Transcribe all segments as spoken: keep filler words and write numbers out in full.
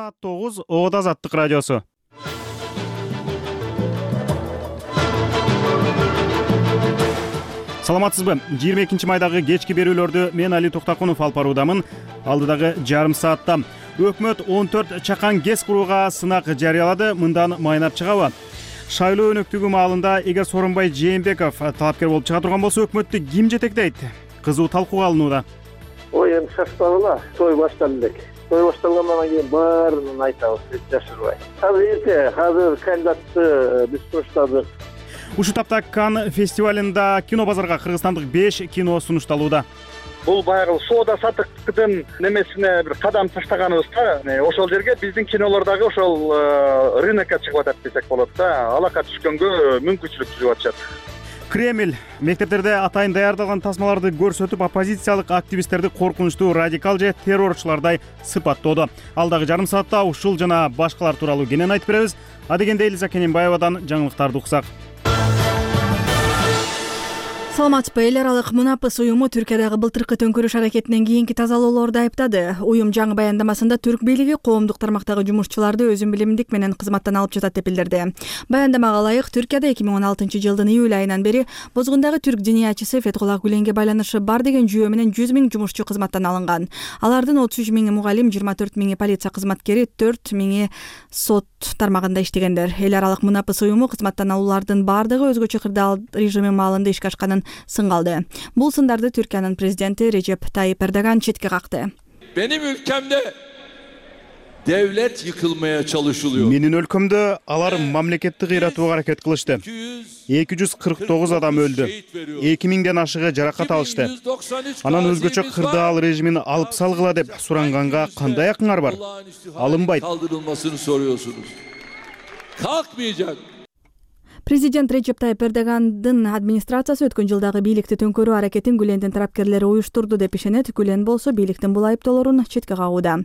Саат тогуз Оот Азаттык радиосу. Саламатсызбы? жыйырма экинчи майдагы кечки берүүлөрдү мен Али Токтакунов алып баруудамын. Алдыдагы жарым саатта өкмөт он төрт чакан ГЭС курууга сынак жарыялады. Мындан майнап чыгабы? Шайлоо өнөктүгү маалында эгер Сооронбай Жээнбеков талапкер болуп чыга турган болсо, өкмөттү ким жетектейт? Кызуу талкууга алынууда. Ой, эми шашпагыла, той башталды элек. Той башталгандан кийин баарын айтабыз, эч жашырбай. Азыр эрте, азыр кандидатты биз суруштадык. Ушул тапта Канн фестивалында кино базарга кыргызстандык беш кино сунушталууда. Бул баягы соода саттыктын немесине бир кадам таштаганыбыз да. Ошол жерге биздин кинолор дагы ошол рынокко чыгып атат десек болот да. Алака түшкөнгө мүмкүнчүлүк түзүп атышат. Кремль мектептерде атайын даярдалган тасмаларды көрсөтүп, оппозициялык активисттерди коркунучтуу радикал же террорчулардай сыпаттоодо. Алдагы жарым саатта ушул жана башкалар тууралуу кенен айтып беребиз. Адегенде Элиза Кененбаевадан жаңылыктарды уксак. Саламатсызбы? Эл аралык Мунапыс уюму Түркиядагы былтыркы төңкөрүш аракетинен кийинки тазалоолорду айыптады. Уюм жаңы баяндамасында түрк бийлиги коомдук тармактагы жумушчуларды өзүн билимдик менен кызматтан алып жатат деп билдирди. Баяндамага ылайык, Түркияда эки миң он алтынчы жылдын июль айынан бери бозгундагы түрк диниячысы Фетхулла Гүленге байланышы бар деген жүйө менен жүз миң жумушчу кызматтан алынган. Алардын отуз үч миңи мугалим, жыйырма төрт миңи полиция кызматкери, төрт миңи сот тармагында иштегендер. Эл аралык Мунапыс уюму кызматтан алуулардын бардыгы өзгөчө кырдаал режими маалында ишке ашканын сынгалды. Бул сындарды Түркиянын президенти Режеп Тайип Эрдоган четке какты. Benim ülkemde devlet yıkılmaya çalışılıyor. Менин өлкөмдө алар мамлекетти кыйратууга аракет кылышты. эки жүз кырк тогуз адам өлдү. эки миңден ашыгы жаракат алышты. Анан өзгөчө кырдаал режимин алып салгыла деп суранганга кандай акыңар бар? Алынбайт. Kaldırılmasını soruyorsunuz. Kalkmayacak. Президент Режеп Тайип Эрдогандын администрациясы өткөн жылдагы бийликти төңкөрүү аракетин Гүлендин тарапкерлери уюштурду деп ишенет. Гүлен болсо бийликтин бул айыптоолорун четке кагууда.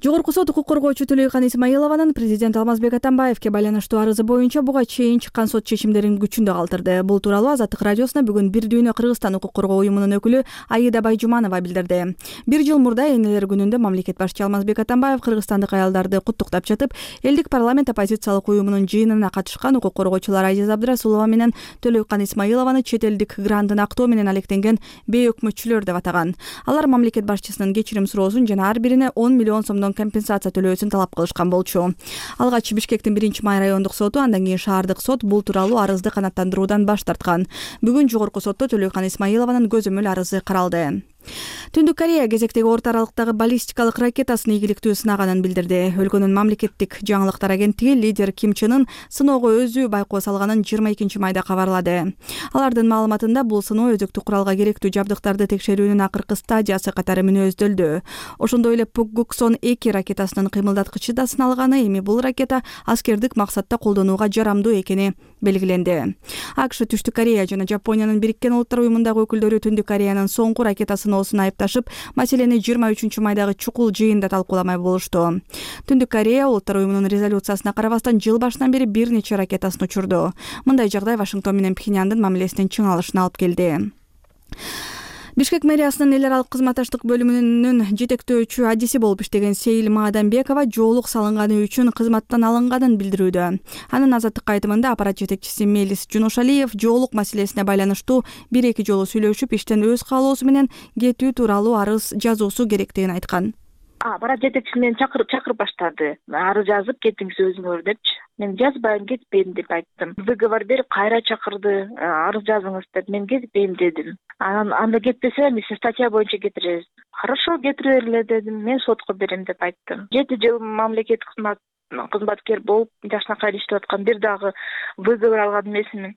Жогорку сот укук коргоочу Төлөйкан Исмаилованын президент Алмазбек Атамбаевке байланыштуу арызы боюнча буга чейин чыккан сот чечимдерин күчүндө калтырды. Бул тууралуу Азаттык радиосуна бүгүн Бир дүйнө Кыргызстан укук коргоо уюмунун өкүлү Аида Байжуманова билдирди. Бир жыл мурда энелер күнүндө мамлекет башчы Алмазбек Атамбаев кыргызстандык аялдарды куттуктап жатып, элдик парламент оппозициялык уюмунун жыйынына катышкан укук коргоочулар Айзиз Абдрасулова менен Төлөйкан Исмаилованы чет элдик грантын актоо менен алектенген бейөкмөтчүлөр деп атаган. Алар мамлекет башчысынын кечирим суроосун жана ар бирине он миллион сомдон компенсация төлөөсүн талап кылышкан болчу. Алгач Бишкектин биринчи май райондук соту, андан кийин шаардык сот бул тууралуу арызды канааттандыруудан баш тарткан. Бүгүн жогорку сотто Төлөйкан Исмаилованын көзөмөл арызы каралды. Түндүк Корея кезектеги орто аралыктагы баллистикалык ракетасын ийгиликтүү сынаганын билдирди. Өлкөнүн мамлекеттик жаңылыктар агенттиги лидер Ким Чен Ын сыноого өзү байкоо салганын жыйырма экинчи майда кабарлады. Алардын маалыматында бул сыноо өзөктүк куралга керектүү жабдыктарды текшерүүнүн акыркы стадиясы катары мүнөздөлдү. Ошондой эле Пукгуксон эки ракетасынын кыймылдаткычы да сыналганы, эми бул ракета аскердик максатта колдонууга жарамдуу экени белгиленди. АКШ, Түштүк Корея жана Жапониянын Бириккен Улуттар уюмундагы өкүлдөрү Түндүк Кореянын соңку ракетасын осун айыпташып, маселени жыйырма үчүнчү майдагы чукул жыйында талкууламай болушту. Түндүк Корея Улуттар уюмунун резолюциясына карабастан жыл башынан бери бир нече ракетасын учурду. Мындай жагдай Вашингтон менен Пхеньяндын мамилесинин чыңалышына алып келди. Бишкек мэриясынын эл аралык кызматташтык бөлүмүнүн жетектөөчү адиси болуп иштеген Сейил Маадамбекова жоолук салынганы үчүн кызматтан алынганын билдирүүдө. Анын Азаттыкка айтымында аппарат жетекчиси Мелис Жунушалиев жоолук маселесине байланыштуу бир-эки жолу сүйлөшүп, иштен өз каалоосу менен кетүү тууралуу арыз жазуусу керектигин айткан. Аппарат жетекчиси мени чакырып чакырып баштады. Арыз жазып кетиңиз өзүңөр депчи. Мен жазбайм, кетпейм деп айттым. Выговор берип кайра чакырды. Арыз жазыңыз деп, мен кетпейм дедим. Анан анда кетпесе биз статья боюнча кетиребиз. Хорошо, кетире берле дедим. Мен сотко берем деп айттым. жети жыл мамлекет кызмат кызматкер болуп жашынакай иштеп аткан, бир дагы выговор алган эмесмин.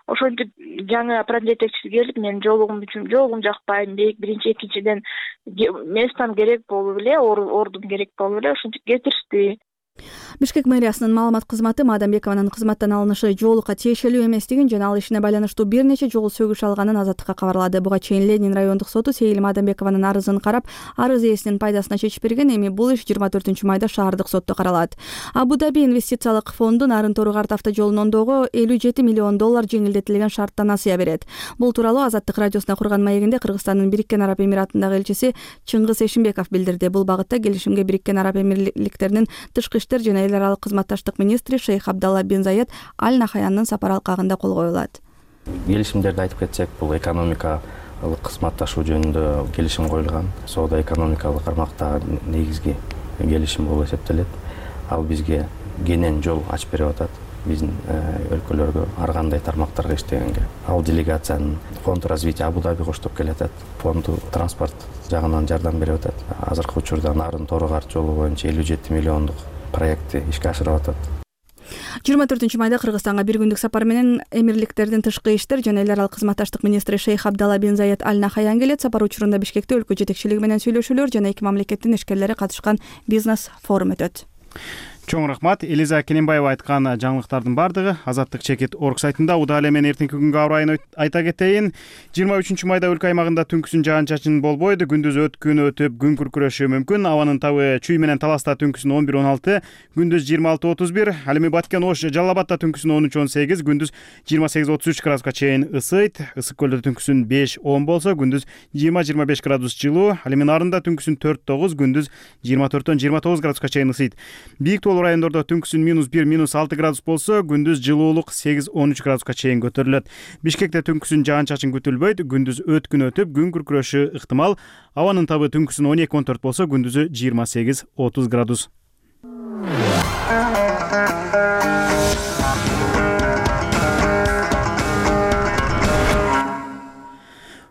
Ошентип жаңы аппарат жетекчиси келип, мен жоолугум үчүн жоолугум жакпайм, биринчи экинчиден местом керек болуп эле, ордум керек болуп эле, ошентип кетиришти. Бишкек мэриясынын маалымат кызматы Маадамбекованын кызматтан алынышы жоолукка тиешелүү эместигин жана ал ишине байланыштуу бир нече жолу сөгүш алганын Азаттыкка кабарлады. Буга чейин Ленин райондук соту Сейил Маадамбекованын арызын карап, арыз ээсинин пайдасына чечип берген. Эми бул иш жыйырма төртүнчү майда шаардык сотто каралат. Абу-Даби инвестициялык фонду Нарын Тору-Карт автожолун оңдоого элүү жети миллион доллар жеңилдетилген шартта насыя берет. Бул тууралуу Азаттык радиосуна курган маегинде Кыргызстандын Бириккен Араб Эмиратындагы элчиси Чыңгыз Эшимбеков билдирди. Бул багытта келишимге Бириккен Араб Эмирликтеринин тышкы иштер жана эл аралык кызматташтык министри Шейх Абдалла бин Заед Аль Нахаяндын сапар алкагында кол коюлат. Келишимдерди айтып кетсек, бул экономикалык кызматташуу жөнүндө келишим коюлган. Соода экономикалык кармакта негизги келишим болуп эсептелет. Ал бизге кенен жол ачып берип атат. Биздин өлкөлөргө ар кандай тармактарга иштегенге. Ал делегациянын фонд развития Абу-Даби коштоп келатат. Фонду транспорт жагынан жардам берип атат. Азыркы учурда Нарын Тору-Карт жолу боюнча элүү жети миллиондук проекти ишке ашырып атат. жыйырма төртүнчү майда Кыргызстанга бир күндүк сапар менен Эмирликтердин тышкы иштер жана эл аралык кызматташтык министри Шейх Абдалла бин Заед Аль Нахаян келет. Сапар учурунда Бишкекте өлкө жетекчилиги менен сүйлөшүүлөр жана эки мамлекеттин ишкерлери катышкан бизнес форум өтөт. Чоң рахмат. Элиза Кененбаева айткан жаңылыктардын бардыгы Азаттык чекит орг сайтында. Удаалы менен эртеңки күнгө аба ырайын айта кетейин. жыйырма үчүнчү майда өлкө аймагында түнкүсүн жаан-чачын болбойт. Күндүз өткүн өтүп, күн күркүрөшү мүмкүн. Абанын табы Чүй менен Таласта түнкүсүн он бир он алты, күндүз жыйырма алты отуз бир. Ал эми Баткен, Ош, Жалал Абадта түнкүсүн он үч он сегиз, күндүз жыйырма сегиз отуз үч градуска чейин ысыйт. Ысык көлдө түнкүсүн беш он болсо, күндүз жыйырма жыйырма беш градус жылуу. Ал эми Нарында түнкүсүн төрт тогуз, күндүз жыйырма төрттөн жыйырма тогуз градуска чейин ысыйт. Бийик тоолуу райондордо түнкүсүн минус бир минус алты градус болсо, күндүз жылуулук сегиз он үч градуска чейин көтөрүлөт. Бишкекте түнкүсүн жаан-чачын күтүлбөйт, күндүз өткүн өтүп, күн күркүрөшү ыктымал. Абанын табы түнкүсүн он эки он төрт болсо, күндүзү жыйырма сегиз отуз градус.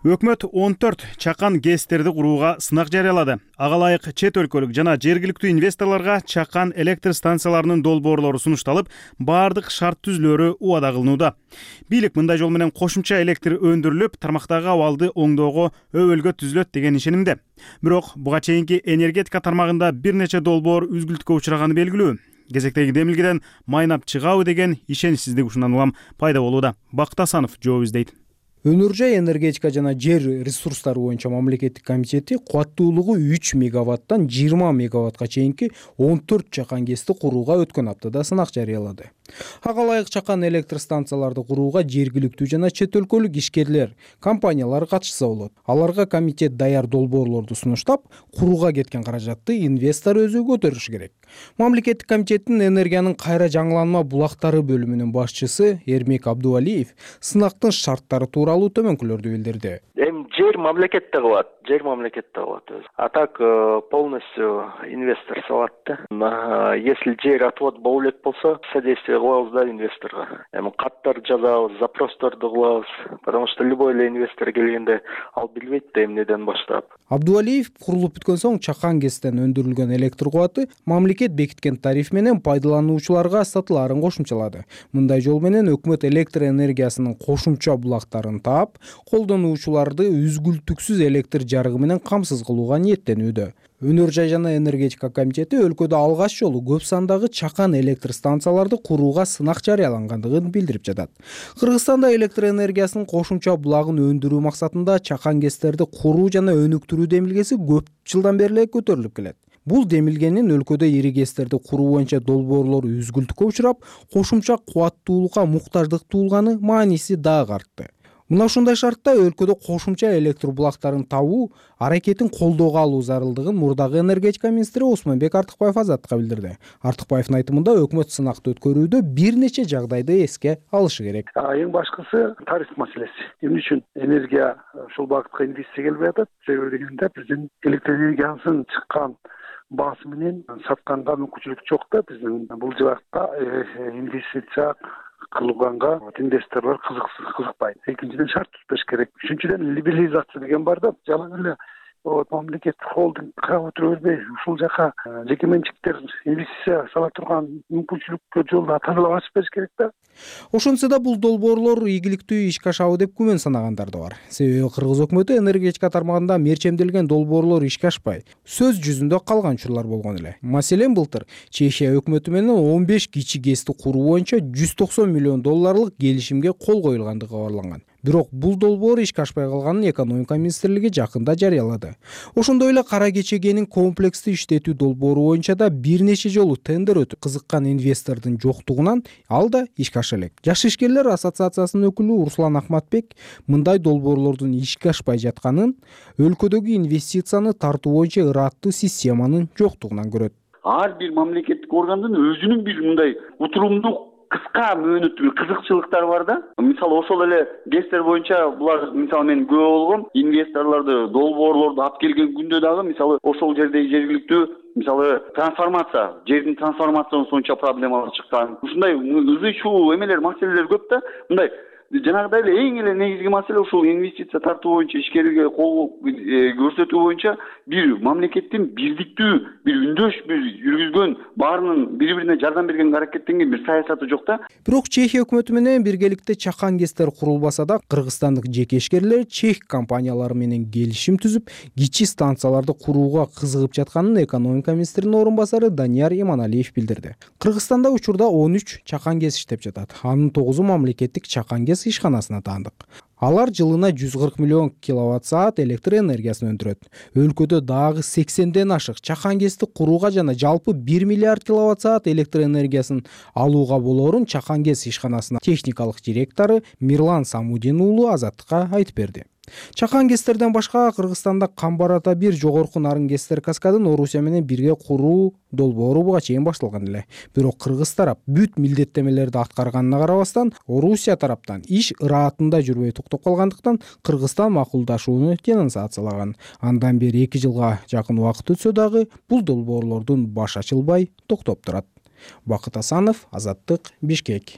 Өкмөт он төрт чакан ГЭСтерди курууга сынак жарыялады. Ага ылайык чет өлкөлүк жана жергиликтүү инвесторлорго чакан электр станцияларынын долбоорлору сунушталып, баардык шарт түзүлөрү убада кылынууда. Бийлик мындай жол менен кошумча электр өндүрүлүп, тармактагы абалды оңдоого өбөлгө түзүлөт деген ишенимде. Бирок буга чейинки энергетика тармагында бир нече долбоор үзгүлтүккө учураганы белгилүү. Кезектеги демилгеден майнап чыгабы деген ишеничсиздик ушундан улам пайда болууда. Бакыт Асанов жооп издейт. Өнөр жай энергетика жана жер ресурстары боюнча мамлекеттик комитети кубаттуулугу үч мегаваттан жыйырма мегаваттка чейинки он төрт чакан ГЭСти курууга өткөн аптада сынак жарыялады. Ага ылайык чакан электр станцияларды курууга жергиликтүү жана чет өлкөлүк ишкерлер, компаниялар катышса болот. Аларга комитет даяр долбоорлорду сунуштап, курууга кеткен каражатты инвестор өзү көтөрүшү керек. Мамлекеттик комитеттин энергиянын кайра жаңыланма булактары бөлүмүнүн башчысы Эрмек Абдувалиев сынактын шарттары тууралуу төмөнкүлөрдү билдирди. Эми жер мамлекетте кылат, жер мамлекетте кылат өзү. А так полностью инвестор салат да. Если жер отвод боло элек болсо, содействие кылабыз да инвесторго. Эми каттар жазабыз, запросторду кылабыз. Потому что любой эле инвестор келгенде ал билбейт да эмнеден баштап. Абдувалиев курулуп бүткөн соң чакан ГЭСтен өндүрүлгөн электр кубаты мамлекет бекиткен тариф менен пайдалануучуларга сатылаарын кошумчалады. Мындай жол менен өкмөт электр энергиясынын кошумча булактарын таап, колдонуучуларды үзгүлтүксүз электр жарыгы менен камсыз кылууга ниеттенүүдө. Өнөр жай жана энергетика комитети өлкөдө алгач жолу көп сандагы чакан электр станцияларды курууга сынак жарыялангандыгын билдирип жатат. Кыргызстанда электр энергиясынын кошумча булагын өндүрүү максатында чакан ГЭСтерди куруу жана өнүктүрүү демилгеси көп жылдан бери эле көтөрүлүп келет. Бул демилгенин өлкөдө ири ГЭСтерди куруу боюнча долбоорлор үзгүлтүккө учурап, кошумча кубаттуулукка муктаждык туулганы мааниси дагы артты. Мына ушундай шартта өлкөдө кошумча электр булактарын табуу аракетин колдоого алуу зарылдыгын мурдагы энергетика министри Осмонбек Артыкбаев Азаттыкка билдирди. Артыкбаевдин айтымында өкмөт сынакты өткөрүүдө бир нече жагдайды эске алышы керек. Эң башкысы тариф маселеси. Эмне үчүн энергия ушул багытка инвестиция келбей атат? Себеби дегенде биздин электр энергиясын чыккан баасы менен сатканга мүмкүнчүлүк жок да. Биздин бул жакка инвестиция кылганга инвесторлор кызыкпайт. Экинчиден шарт түзүш керек. Үчүнчүдөн либерализация деген бар да. Жалаң эле вот мамлекеттик холдингге өтүрө бербей ушул жака жеке менчиктер инвестиция сала турган мүмкүнчүлүккө жолду тазалап ачып бериш керек да. Ошентсе да бул долбоорлор ийгиликтүү ишке ашабы деп күмөн санагандар да бар. Себеби кыргыз өкмөтү энергетика тармагында мерчемделген долбоорлор ишке ашпай, сөз жүзүндө калган учурлар болгон эле. Маселен, былтыр Чехия өкмөтү менен он беш кичи ГЭСти куруу боюнча жүз токсон миллион долларлык келишимге кол коюлгандыгы кабарланган. Бирок бул долбоор ишке ашпай калганын экономика министрлиги жакында жарыялады. Ошондой эле Кара Кечегенин комплекстүү иштетүү долбоору боюнча да бир нече жолу тендер өтүп, кызыккан инвестордун жоктугунан ал да ишке аша элек. Жаш ишкерлер ассоциациясынын өкүлү Руслан Акматбек мындай долбоорлордун ишке ашпай жатканын өлкөдөгү инвестицияны тартуу боюнча ыраттуу системанын жоктугунан көрөт. Ар бир мамлекеттик органдын өзүнүн бир мындай утурумдуу кыска мөөнөттүү кызыкчылыктары бар да. Мисалы ошол эле ГЭСтер боюнча булар мисалы мен күбө болгом инвесторлорду долбоорлорду алып келген күндө дагы мисалы ошол жердеги жергиликтүү мисалы трансформация, жердин трансформациясынан сонча проблемалар чыккан. Ушундай ызы чуу эмелер, маселелер көп да. Мындай жанагыдай эле эң эле негизги маселе ушул инвестиция тартуу боюнча, ишкерге кол көрсөтүү боюнча бир мамлекеттин бирдиктүү, бир үндөш, бир жүргүзгөн, баарынын бири-бирине жардам берген, аракеттенген бир саясаты жок да. Бирок Чехия өкмөтү менен биргеликте чакан ГЭСтер курулбаса да, кыргызстандык жеке ишкерлер чех компаниялары менен келишим түзүп, кичи станцияларды курууга кызыгып жатканын экономика министринин орун басары Данияр Иманалиев билдирди. Кыргызстанда учурда он үч чакан ГЭС иштеп жатат. Анын тогузу мамлекеттик чакан ГЭС ишканасына таандык. Алар жылына жүз кырк миллион киловатт саат электр энергиясын өндүрөт. Өлкөдө дагы сексенден ашык чакан ГЭСти курууга жана жалпы бир миллиард киловатт саат электр энергиясын алууга болоорун чакан ГЭС ишканасынын техникалык директору Мирлан Самудин уулу Азаттыкка айтып берди. Чакан ГЭСтерден башка Кыргызстанда Камбар ата бир жогорку нарын ГЭСтер каскадын Орусия менен бирге куруу долбоору буга чейин башталган эле. Бирок кыргыз тарап бүт милдеттемелерди аткарганына карабастан, Орусия тараптан иш ыраатында жүрбөй токтоп калгандыктан Кыргызстан макулдашууну денонсациялаган. Андан бери эки жылга жакын убакыт өтсө дагы бул долбоорлордун баш ачылбай токтоп турат. Бакыт Асанов, Азаттык, Бишкек.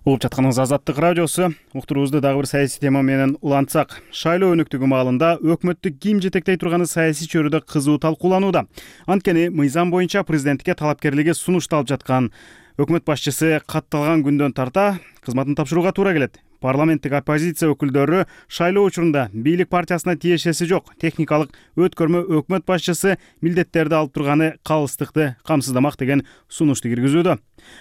Угуп жатканыңыз Азаттык радиосу. Уктуруубузду дагы бир саясий тема менен улантсак. Шайлоо өнүктүгү маалында өкмөттү ким жетектей турганы саясий чөйрөдө кызуу талкууланууда. Анткени мыйзам боюнча президентке талапкерлиги сунушталып жаткан. Өкмөт башчысы катталган күндөн тарта кызматын тапшырууга туура келет. Парламенттик оппозиция өкүлдөрү шайлоо учурунда бийлик партиясына тиешеси жок техникалык өткөрмө өкмөт башчысы милдеттерди алып турганы калыстыкты камсыздамак деген сунушту киргизүүдө.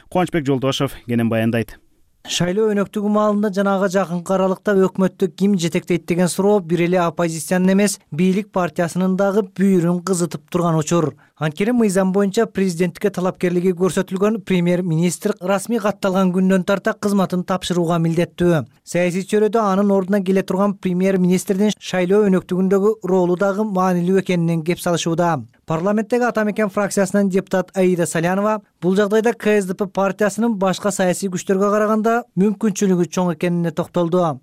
Кубанычбек Жолдошов кенен баяндайт. Шайлоо өнөктүгү маалында жанагы жакынкы аралыкта өкмөттү ким жетектейт деген суроо бир эле оппозициянын эмес, бийлик партиясынын дагы бүйүрүн кызытып турган учур. Анткени мыйзам боюнча президенттикке талапкерлиги көрсөтүлгөн премьер-министр расмий катталган күндөн тарта кызматын тапшырууга милдеттүү. Саясий чөйрөдө анын ордуна келе турган премьер-министрдин шайлоо өнөктүгүндөгү ролу дагы маанилүү экенинен кеп салышууда. Парламенттеги Ата Мекен фракциясынын депутат Аида Салянова бул жагдайда КСДП партиясынын башка саясий күчтөргө караганда мүмкүнчүлүгү чоң экенине токтолду.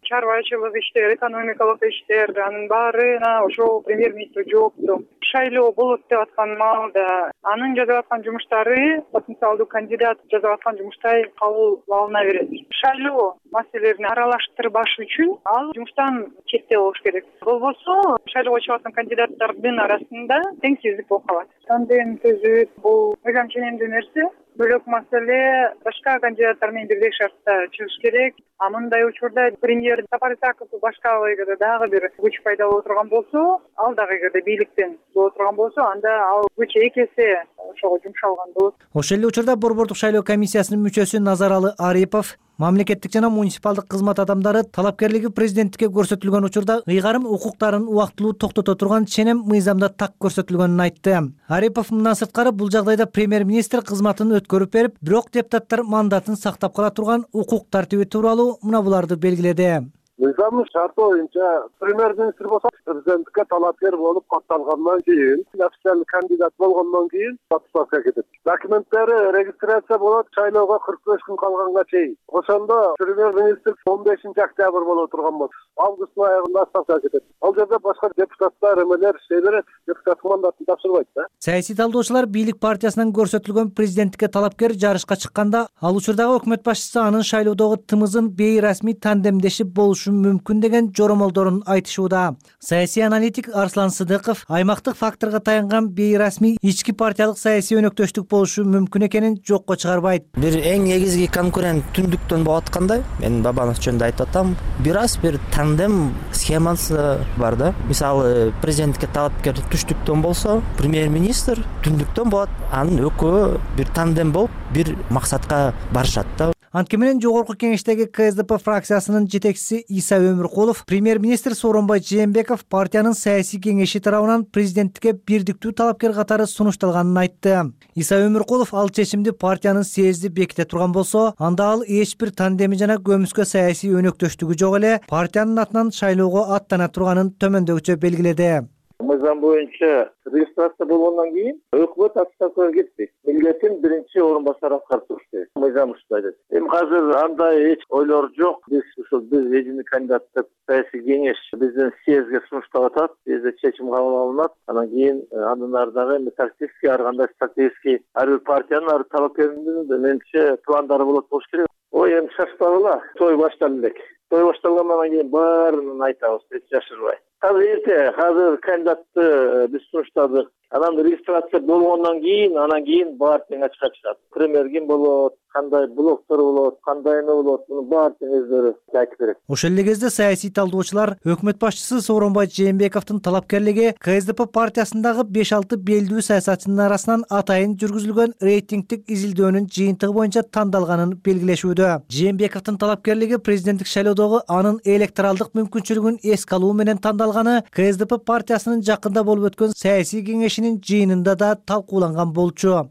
Чарбачылык иштер, экономикалык иштер, анын баарына ошол премьер-министр жоопту. Шайлоо болот деп аткан маалда анын жасап аткан жумуштары потенциалдуу кандидат жасап аткан жумуштай кабыл алына берет. Шайлоо маселелерин аралаштырбаш үчүн ал жумуштан четте болуш керек. Болбосо шайлоого чыгып аткан кандидаттардын арасында теңсиздик болуп калат. Тандем түзүп бул мыйзам ченемдүү нерсе. Бөлөк маселе башка кандидаттар менен бирдей шартта чыгыш керек. А мындай учурда премьер Сапар Исаков башка эгерде дагы бир күч пайда боло турган болсо, ал дагы эгерде бийликтен боло турган болсо, анда ал күч эки эсе ошого жумшалган болот. Ошол эле учурда Борбордук шайлоо комиссиясынын мүчөсү Назаралы Арипов мамлекеттик жана муниципалдык кызмат адамдары талапкерлиги президенттикке көрсөтүлгөн учурда ыйгарым укуктарын убактылуу токтото турган ченем мыйзамда так көрсөтүлгөнүн айтты. Арипов мындан сырткары бул жагдайда премьер-министр кызматын өткөрүп берип, бирок депутаттар мандатын сактап кала турган укук тартиби тууралуу мына буларды белгиледи. мыйзамдын шарты боюнча премьер-министр болсо президенттикке талапкер болуп катталгандан кийин, официальный кандидат болгондон кийин отставкага кетет. Документтери регистрация болот шайлоого кырк беш күн калганга чейин. Ошондо премьер-министр он бешинчи октябрь боло турган болот. Августтун аягында отставкага кетет. Ал жерде башка депутаттар, эмелер иштей берет, депутаттык мандатын тапшырбайт да. Саясий талдоочулар бийлик партиясынан көрсөтүлгөн президенттикке талапкер жарышка чыкканда, ал учурдагы өкмөт башчысы анын шайлоодогу тымызын бейрасмий тандемдешип болушу мүмкүн деген жоромолдорун айтышууда. Саясий аналитик Арслан Сыдыков аймактык факторго таянган бейрасмий ички партиялык саясий өнөктөштүк болушу мүмкүн экенин жокко чыгарбайт. Бир эң негизги конкурент түндүктөн болуп аткандай, мен Бабанов жөнүндө айтып атам, бир аз бир тандем схемасы бар да. Мисалы, президенттикке талапкер түштүктөн болсо, премьер-министр түндүктөн болот. Анын экөө бир тандем болуп, бир максатка барышат да. Анткени менен жогорку кеңештеги ка эс дэ пэ фракциясынын жетекчиси Иса Өмүркулов, премьер-министр Сооронбай Жээнбеков партиянын саясий кеңеши тарабынан президенттикке бирдиктүү талапкер катары сунушталганын айтты. Иса Өмүркулов ал чечимди партиянын съезди беките турган болсо, анда ал эч бир тандеми жана көмүскө саясий өнөктөштүгү жок эле партиянын атынан шайлоого аттана турганын төмөндөгүчө белгиледи. Мыйзам боюнча регистрация болгондон кийин өкмөт отставкага кетпейт. Милдетин биринчи орун басар аткарып туруш керек. Мыйзам ушундай айтат. Эми азыр андай эч ойлор жок. Биз ушул биз эжини кандидаттык саясий кеңеш биздин съездге сунуштап атат. Бизде чечим кабыл алынат. Анан кийин андан ары дагы тактический, ар кандай стратегический ар бир партиянын ар талапкеринин менимче пландары болот болуш керек. Ой, эми шашпагыла. Той башталды элек. Той башталгандан кийин баарын айтабыз, эч жашырбай. Азыр эрте, азыр кандидатты биз сунуштадык. Анан регистрация болгондон кийин, анан кийин баары тең ачыкка чыгат. Премьер ким болот, кандай блоктор болот, кандай эме болот, муну баары тең өздөрү айтып берет. Ошол эле кезде саясий талдоочулар өкмөт башчысы Сооронбай Жээнбековдун талапкерлиги ка эс дэ пэ партиясындагы беш алты белдүү саясатчынын арасынан атайын жүргүзүлгөн рейтингдик изилдөөнүн жыйынтыгы боюнча тандалганын белгилешүүдө. Жээнбековдун талапкерлиги президенттик шайлоодогу анын электоралдык мүмкүнчүлүгүн эске алуу менен тандалганы ка эс дэ пэ партиясынын жакында болуп өткөн саясий кеңешинин жыйынында да талкууланган болчу.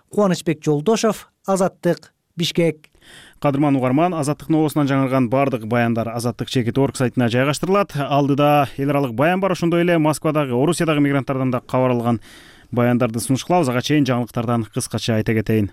Кубанычбек Жолдошов, Азаттык, Бишкек. Кадырман угарман, Азаттык новосунан жаңырган бардык баяндар азаттык чекит точка орг сайтына жайгаштырылат. Алдыда эл аралык баян бар, ошондой эле Москвадагы, Орусиядагы мигранттардан да кабар алган баяндарды сунуш кылабыз. Ага чейин жаңылыктардан кыскача айта кетейин.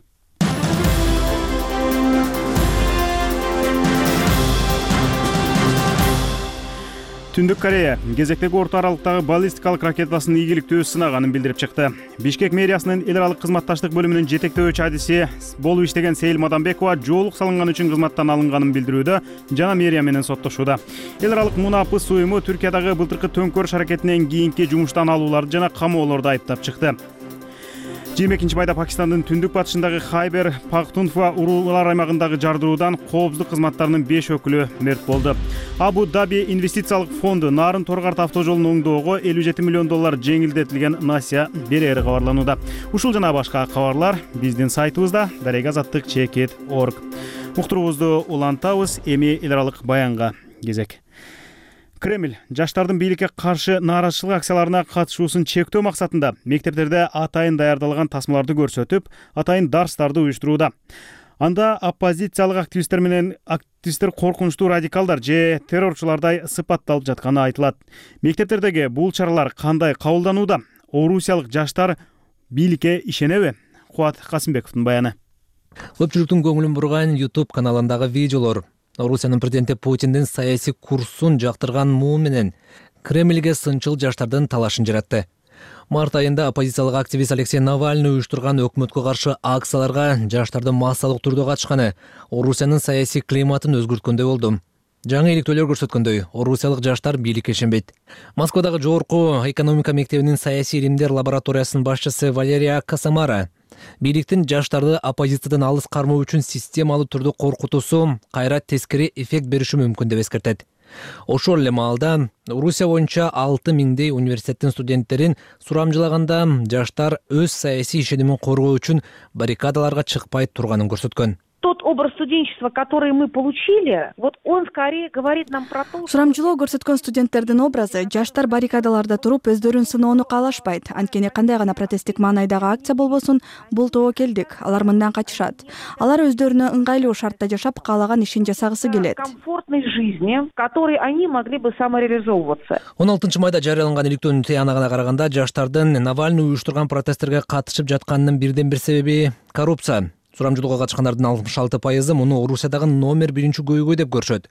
Түндүк Корея кезектеги орто аралыктагы баллистикалык ракетасын ийгиликтүү сынаганын билдирип чыкты. Бишкек мэриясынын эл аралык кызматташтык бөлүмүнүн жетектөөчү адиси болуп иштеген Сейил Мадамбекова жоолук салынган үчүн кызматтан алынганын билдирүүдө жана мэрия менен соттошууда. Эл аралык мунапыс уюму Түркиядагы былтыркы төңкөрүш аракетинен кийинки жумуштан алууларды жана камоолорду айыптап чыкты. жыйырма экинчи майда Пакистандын түндүк батышындагы Хайбер Пахтунхва уруулар аймагындагы жардыруудан коопсуздук кызматтарынын беш өкүлү мерт болду. Абу Даби инвестициялык фонду Нарын Торгарт автожолун оңдоого элүү жети миллион доллар жеңилдетилген насыя берери кабарланууда. Ушул жана башка кабарлар биздин сайтыбызда дарек азаттык чекит точка орг. Уктуруубузду улантабыз, эми эл аралык баянга кезек. Кремль жаштардын бийликке каршы нааразычылык акцияларына катышуусун чектөө максатында мектептерде атайын даярдалган тасмаларды көрсөтүп, атайын дарстарды уюштурууда. Анда оппозициялык активисттер менен активисттер коркунучтуу радикалдар же террорчулардай сыпатталып жатканы айтылат. Мектептердеги бул чаралар кандай кабылданууда? Орусиялык жаштар бийликке ишенеби? Кубат Касымбековдун баяны. Көпчүлүктүн көңүлүн бурган YouTube каналындагы видеолор Орусиянын президенти Путиндин саясий курсун жактырган муу менен Кремльге сынчыл жаштардын талашын жаратты. Март айында оппозициялык активист Алексей Навальный уюштурган өкмөткө каршы акцияларга жаштардын массалык түрдө катышканы Орусиянын саясий климатын өзгөрткөндөй болду. Жаңы иликтөөлөр көрсөткөндөй, орусиялык жаштар бийликке ишенбейт. Москвадагы жогорку экономика мектебинин саясий илимдер лабораториясынын башчысы Валерия Касамара бийликтин жаштарды оппозициядан алыс кармоо үчүн системалуу түрдө коркутуусу кайра тескери эффект бериши мүмкүн деп эскертет. Ошол эле маалда Орусия боюнча алты миңдей университеттин студенттерин сурамжылаганда жаштар өз саясий ишенимин коргоо үчүн баррикадаларга чыкпай турганын көрсөткөн. тот образ студенчества, который мы получили, вот он скорее говорит нам про то, что... Сурамчылоо көрсөткөн студенттердин образы жаштар баррикадаларда туруп өздөрүн сыноону каалашпайт. Анткени кандай гана протесттик маанайдагы акция болбосун, бул тобокелдик. Алар мындан качышат. Алар өздөрүнө ыңгайлуу шартта жашап, каалаган ишин жасагысы келет. Комфортной жизни, в которой они могли бы самореализовываться. он алтынчы майда жарыяланган иликтөөнүн тыянагына караганда жаштардын Навальный уюштурган протесттерге катышып жатканынын бирден бир себеби коррупция. Сурамжылоого катышкандардын алтымыш алты пайызы муну Орусиядагы номер биринчи көйгөй деп көрүшөт.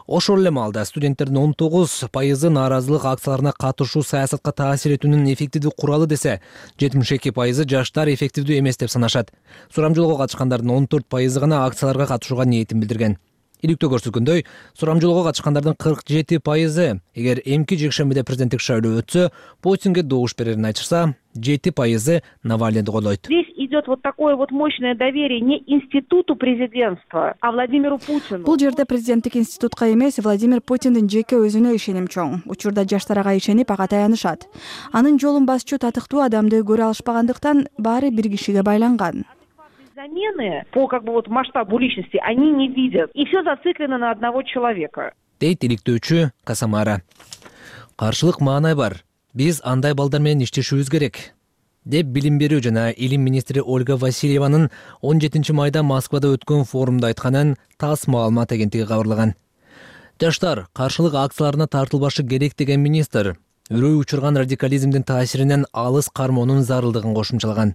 Ошол эле маалда студенттердин он тогуз пайызы нааразылык акцияларына катышуу саясатка таасир этүүнүн эффективдүү куралы десе, жетимиш эки пайызы жаштар эффективдүү эмес деп санашат. Сурамжылоого катышкандардын он төрт пайызы гана акцияларга катышууга ниетин билдирген. Иликтөө көрсөткөндөй, сурамжылоого катышкандардын кырк жети пайызы эгер эмки жекшембиде президенттик шайлоо өтсө, Путинге добуш берерин айтышса, жети пайызы Навальныйды колдойт. Здесь идет вот такое вот мощное доверие не институту президентства, а Владимиру Путину. Бул жерде президенттик институтка эмес, Владимир Путиндин жеке өзүнө ишеним чоң. Учурда жаштар ага ишенип, ага таянышат. Анын жолун басчу татыктуу адамды көрө алышпагандыктан баары бир кишиге байланган. Замены по как бы вот масштабу личности они не видят. И все зациклено на одного человека. Дейт иликтөөчү Касамара. Каршылык маанай бар. Биз андай балдар менен иштешибиз керек, деп билим берүү жана илим министри Ольга Васильеванын он жетинчи майда Москвада өткөн форумда айтканын ТАСС маалымат агенттиги кабарлаган. Жаштар каршылык акцияларына тартылбашы керек деген министр үрөй учурган радикализмдин таасиринен алыс кармоонун зарылдыгын кошумчалаган.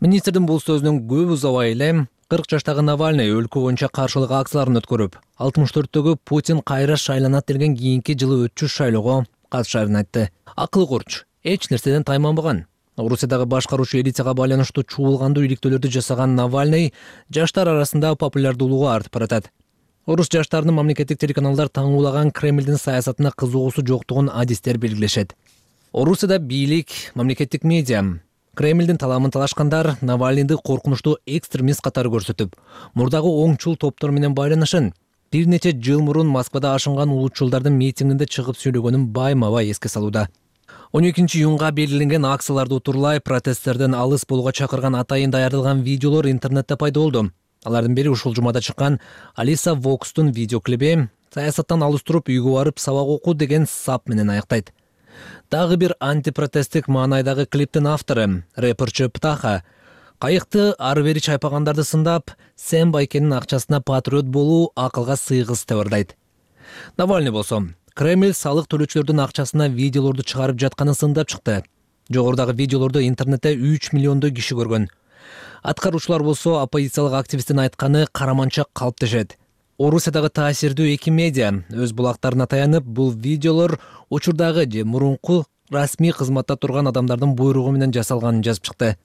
Министрдин бул сөзүнөн көп узабай эле кырк жаштагы Навальный өлкө боюнча каршылык акцияларын өткөрүп, алтымыш төрттөгү Путин кайра шайланат деген кийинки жылы өтчү шайлоого катышарын айтты. Акыл курч, эч нерседен тайманбаган. Орусиядагы башкаруучу элитага байланыштуу чуулгандуу иликтөөлөрдү жасаган Навальный жаштар арасында популярдуулугу артып баратат. Орус жаштарынын мамлекеттик телеканалдар таңуулаган Кремлдин саясатына кызыгуусу жоктугун адистер белгилешет. Орусияда бийлик, мамлекеттик медиа Кремлдин таламын талашкандар Навальныйды коркунучтуу экстремист катары көрсөтүп, мурдагы оңчул топтор менен байланышын бир нече жыл мурун Москвада ашынган улутчулдардын митингинде чыгып сүйлөгөнүн байма-бай эске салууда. он экинчи июнга белгиленген акцияларды утурлай протесттерден алыс болууга чакырган атайын даярдалган видеолор интернетте пайда болду. Алардын бири ушул жумада чыккан Алиса Вокстун видеоклиби саясаттан алыс туруп үйгө барып сабак окуу деген сап менен аяктайт. Дагы бир антипротесттик маанайдагы клиптин автору, рэперчи Птаха, кайыкты ары бери чайпагандарды сындап, Сэм Байкенин акчасына патриот болуу акылга сыйгыс деп ырдайт. Навальный болсо, Кремль салык төлөөчүлөрдүн акчасына видеолорду чыгарып жатканын сындап чыкты. Жогорудагы видеолорду интернетте үч миллиондой киши көргөн. Аткаруучулар болсо оппозициялык активисттин айтканы караманча калыптешет. Орусиядагы таасирдүү эки медиа өз булактарына таянып, бул видеолор учурдагы же мурунку расмий кызматта турган адамдардын буйругу менен жасалганын жазып чыкты.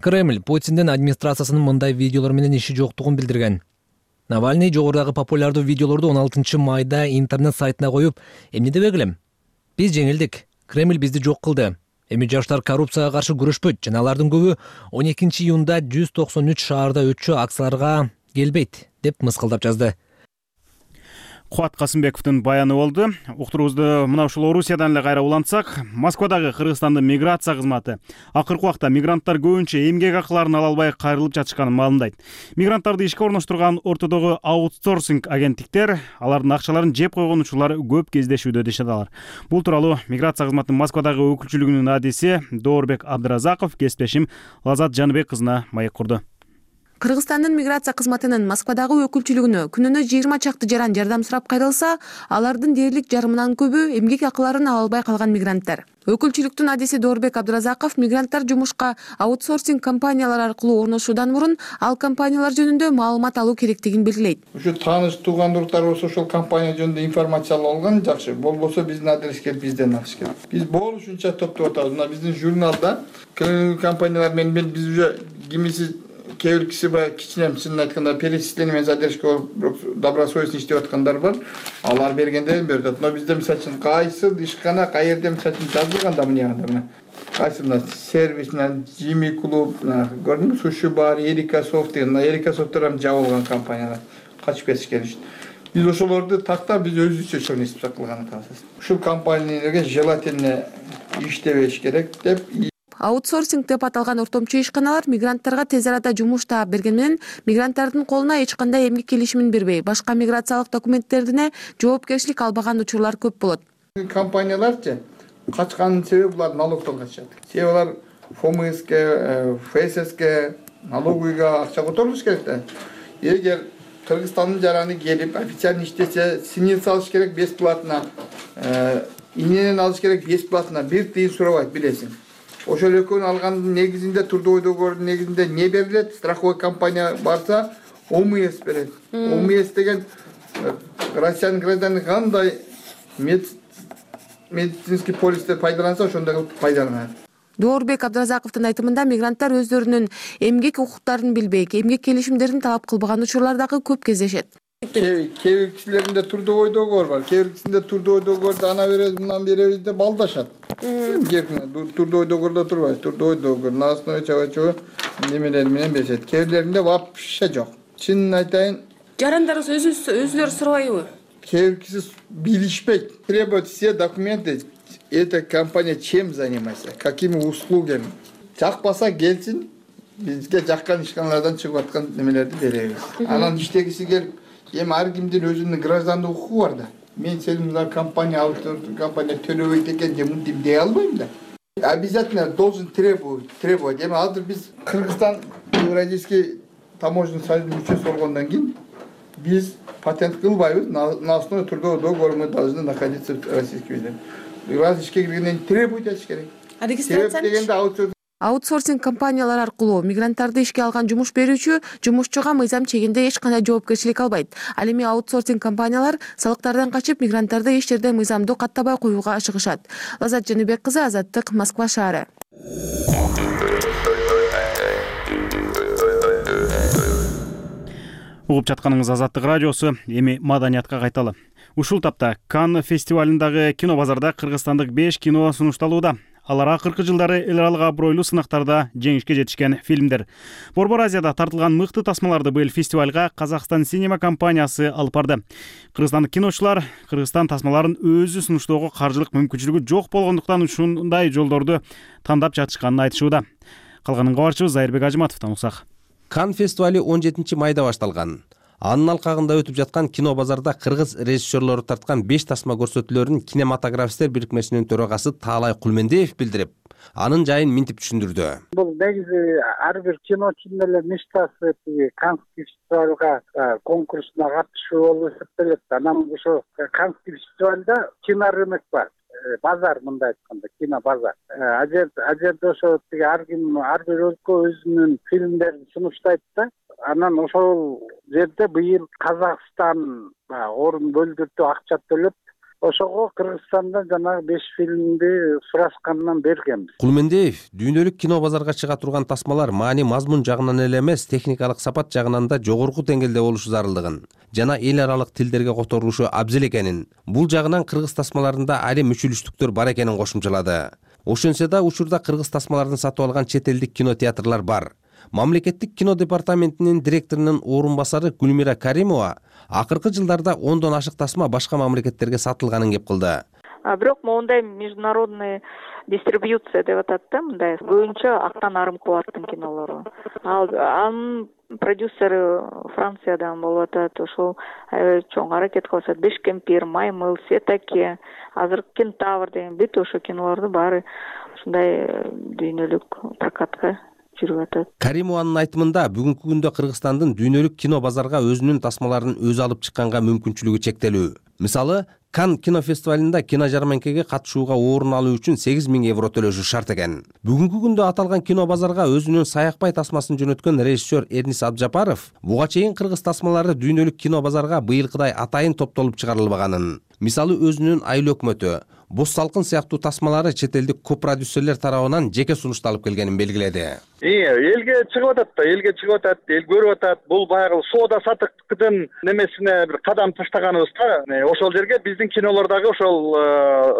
Кремль Путиндин администрациясынын мындай видеолор менен иши жоктугун билдирген. Навальный жогорудагы популярдуу видеолорду он алтынчы майда интернет сайтына коюп, эмне дебек элем? Биз жеңилдик, Кремль бизди жок кылды. Эми жаштар коррупцияга каршы күрөшпөйт жана алардын көбү он экинчи июнда жүз токсон үч шаарда өтчү акцияларга келбейт, деп мыскылдап жазды. Кубат Касымбековдун баяны болду. Уктуруубузду мына ушул Орусиядан эле кайра улантсак, Москвадагы Кыргызстандын миграция кызматы акыркы убакта мигранттар көбүнчө эмгек акыларын ала албай кайрылып жатышканын маалымдайт. Мигранттарды ишке орноштурган ортодогу аутсорсинг агенттиктер алардын акчаларын жеп койгон учурлар көп кездешүүдө дешет алар. Бул тууралуу миграция кызматынын Москвадагы өкүлчүлүгүнүн адиси Доорбек Абдыразаков кесиптешим Лазат Жаныбек кызына маек курду. Кыргызстандын миграция кызматынын Москвадагы өкүлчүлүгүнө күнүнө жыйырма чакты жаран жардам сурап кайрылса, алардын дээрлик жарымынан көбү эмгек акыларын ала албай калган мигранттар. Өкүлчүлүктүн адиси Доорбек Абдыразаков мигранттар жумушка аутсорсинг компаниялар аркылуу орношуудан мурун ал компаниялар жөнүндө маалымат алуу керектигин белгилейт. Ушу тааныш туугандуулуктар болсо ошол компания жөнүндө информация алып алган жакшы, болбосо биздин адреске келип бизден алыш керек. Биз болушунча топтоп атабыз. Мына биздин журналда компаниялар менен биз уже кимиси кээ бир киши баягы кичине чынын айтканда перечисление задержка болуп добросовестно иштеп аткандар бар. Алар бергенде берип атат. Но бизде мисалы үчүн кайсы ишкана каерде мисалы үчүн жазылганда мына кайсы мына сервис менен Jimmy клуб, көрдүңүзбү, суши бар, Эрика софт деген, Эрика софттар жабылган компаниялар качып кетишкен иш. Биз ошолорду тактап биз өзүбүзчө чоң кылган атабыз. Ушул компанияларга желательно иштебеш керек деп Аутсорсинг деп аталган ортомчу ишканалар мигранттарга тез арада жумуш таап берген менен мигранттардын колуна эч кандай эмгек келишимин бербей, башка миграциялык документтерине жоопкерчилик албаган учурлар көп болот. Компанияларчы качканын себеби булар налогдон качат. Себеби алар ФОМСке, ФССке, налоговыйга акча которулуш керек да. Эгер Кыргызстандын жараны келип официально иштесе, синил салыш керек бесплатно, иненен алыш керек бесплатно, бир тыйын сурабайт, билесиң. Ошол экөөнү алгандын негизинде трудовой договордун негизинде не берилет? Страховой компания барса, ОМС берет. ОМС деген россиянын гражданы кандай медицинский полисте пайдаланса, ошондой кылып пайдаланат. Доорбек Абдыразаковдун айтымында мигранттар өздөрүнүн эмгек укуктарын билбей, эмгек келишимдерин талап кылбаган учурлар дагы көп кездешет. Кээ бир кишилеринде трудовой договор бар, кээ бир кишисинде трудовой договорду ана беребиз, мындан беребиз деп алдашат. Трудовой договордо турбайбыз, трудовой договор на основе чего-чего немелер менен беришет. Кээ бирлеринде вообще жок. Чынын айтайын, жарандарыбыз өзүлөрү сурабайбы? Кээ бир киши билишпейт. Требуют все документы. Эта компания чем занимается, какими услугами. Жакпаса келсин, бизге жаккан ишканалардан чыгып аткан немелерди беребиз. Анан иштегиси келип, эми ар кимдин өзүнүн граждандык укугу бар да. Мен сени мына компания алып компания төлөбөйт экен деп мынтип дей албайм да. Обязательно должен требовать, требовать. Эми азыр биз Кыргызстан Евразийский таможенный союздун мүчөсү болгондон кийин биз патент кылбайбыз. На основе трудового договора мы должны находиться в Российской Федерации. Раз ишке киргенден требовать этиш керек. А регистрация аутсорсинг компаниялар аркылуу мигранттарды ишке алган жумуш берүүчү жумушчуга мыйзам чегинде эч кандай жоопкерчилик албайт. Ал эми аутсорсинг компаниялар салыктардан качып мигранттарды эч жерде мыйзамдуу каттабай коюуга ашыгышат. Лаззат Жаныбек кызы, Азаттык, Москва шаары. Угуп жатканыңыз Азаттык радиосу. Эми маданиятка кайталы. Ушул тапта Канн фестивалындагы кино базарда кыргызстандык беш кино сунушталууда. Алар акыркы жылдары эл аралык абройлуу сынактарда жеңишке жетишкен фильмдер. Борбор Азияда тартылган мыкты тасмаларды быйыл фестивалга Казакстан Синема компаниясы алып барды. Кыргызстандык киночулар Кыргызстан тасмаларын өзү сунуштоого каржылык мүмкүнчүлүгү жок болгондуктан ушундай жолдорду тандап жатышканын айтышууда. Калганын кабарчыбыз Зайырбек Ажыматовдон угсак. Канн фестивали он жетинчи майда башталган. Анын алкагында өтүп жаткан кино базарда кыргыз режиссерлору тарткан беш тасма көрсөтүүлөрүн кинематографисттер бирикмесинин төрагасы Таалай Кулмендиев билдирип, анын жайын минтип түшүндүрдү. Бул негизи ар бир киночунун эле мечтасы Каннский фестивалга конкурсуна катышуу болуп эсептелет. Анан ошо Каннский фестивалда кинорынок бар. Базар, мындай айтканда, кино базар. Ажерде ошо ар ким, ар бир өлкө өзүнүн фильмдерин сунуштайт да. Анан ошол жерде быйыл Казакстан орун бөлдүртүп акча төлөп, ошого Кыргызстандан жанагы беш фильмди сурашкандан бергенбиз. Кулмендиев дүйнөлүк кино базарга чыга турган тасмалар маани мазмун жагынан эле эмес, техникалык сапат жагынан да жогорку деңгээлде болушу зарылдыгын жана эл аралык тилдерге которулушу абзел экенин, бул жагынан кыргыз тасмаларында али мүчүлүштүктөр бар экенин кошумчалады. Ошентсе да учурда кыргыз тасмаларын сатып алган чет элдик кинотеатрлар бар. Мамлекеттик кино департаментинин директорунун орун басары Гүлмира Каримова акыркы жылдарда ондон ашык тасма башка мамлекеттерге сатылганын кеп кылды. Бирок моундай международный дистрибьюция деп атат да, мындай көбүнчө Актан Арымкуловдун кинолору. Ал анын продюсери Франциядан болуп атат. Ошол чоң аракет кылышат. Беш кемпир, Маймыл, Сетаке, азыр Кентавр деген бүт ошо кинолорду баары ушундай дүйнөлүк прокатка жүрүп атат. Каримованын айтымында бүгүнкү күндө Кыргызстандын дүйнөлүк кино базарга өзүнүн тасмаларын өзү алып чыкканга мүмкүнчүлүгү чектелүү. Мисалы, Канн кино фестивалында кино жарманкеге катышууга орун алуу үчүн сегиз миң евро төлөшү шарт экен. Бүгүнкү күндө аталган кино базарга өзүнүн Саякбай тасмасын жөнөткөн режиссер Эрнис Абджапаров буга чейин кыргыз тасмалары дүйнөлүк кино базарга быйылкыдай атайын топтолуп чыгарылбаганын, мисалы өзүнүн Айыл өкмөтү, Боз салкын сыяктуу тасмалары чет элдик копродюсерлер тарабынан жеке сунушталып келгенин белгиледи. Элге чыгып атат да, элге чыгып атат, эл көрүп атат. Бул баягы соода сатыктын немесине бир кадам таштаганыбыз да. Ошол жерге биздин кинолор дагы ошол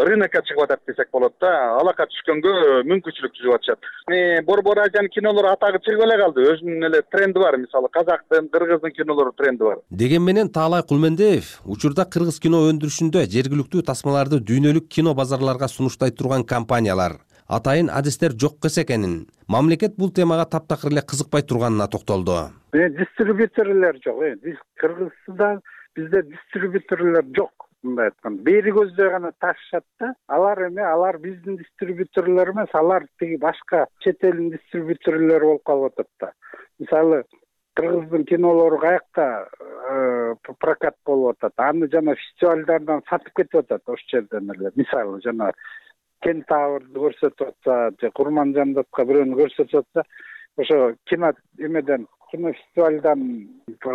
рынокко чыгып атат десек болот да. Алакка түшкөнгө мүмкүнчүлүк түзүп атышат. Борбор Азиянын кинолору атагы чыгып эле калды. Өзүнүн эле тренди бар, мисалы казактын, кыргыздын кинолору тренди бар. Деген менен Таалай Кулмендиев учурда кыргыз кино өндүрүшүндө жергиликтүү тасмаларды дүйнөлүк кино базарларга сунуштай турган компаниялар, атайын адистер жок эс экенин, мамлекет бул темага таптакыр эле кызыкпай турганына токтолду. Дистрибьюторлор жок. Кыргызстанда бизде дистрибьюторлор жок. Мындай айтканда, бери көздөй гана ташышат да. Алар эме, алар биздин дистрибьюторлор эмес, алар тиги башка чет элдин дистрибьюторлору болуп калып атат да. Мисалы, Кыргыздын кинолору каякта прокат болуп атат, аны жана фестивалдардан сатып кетип атат ош жерден эле. Мисалы, жана Кентаврды көрсөтүп атса, же Курманжандатка бирөөнү көрсөтүп атса, ошо кино эмеден, кино фестивалдан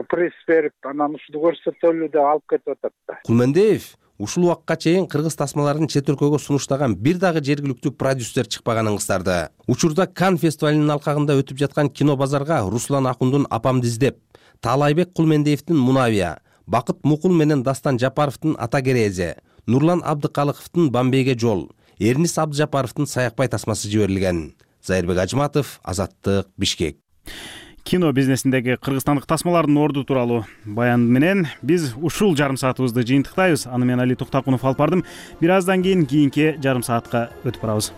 пресс берип, анан ушуну көрсөтөлү деп алып кетип атат да. Кулмендиев ушул убакка чейин кыргыз тасмаларын чет өлкөгө сунуштаган бир дагы жергиликтүү продюсер чыкпаганын кыстарды. Учурда Кан фестивалынын алкагында өтүп жаткан кино базарга Руслан Акундун Апамды издеп, Таалайбек Кулмендиевдин Мунавия, Бакыт Мукул менен Дастан Жапаровдун Ата Керезе, Нурлан Абдыкалыковдун Бамбейге жол, Эрнис Абдыжапаровдун Саякбай тасмасы жиберилген. Зайырбек Ажматов, Азаттык, Бишкек. Кино бизнесиндеги кыргызстандык тасмалардын орду тууралуу баян менен биз ушул жарым саатыбызды жыйынтыктайбыз. Аны мен Али Токтокунов алып бардым. Бир аздан кийин кийинки жарым саатка өтүп барабыз.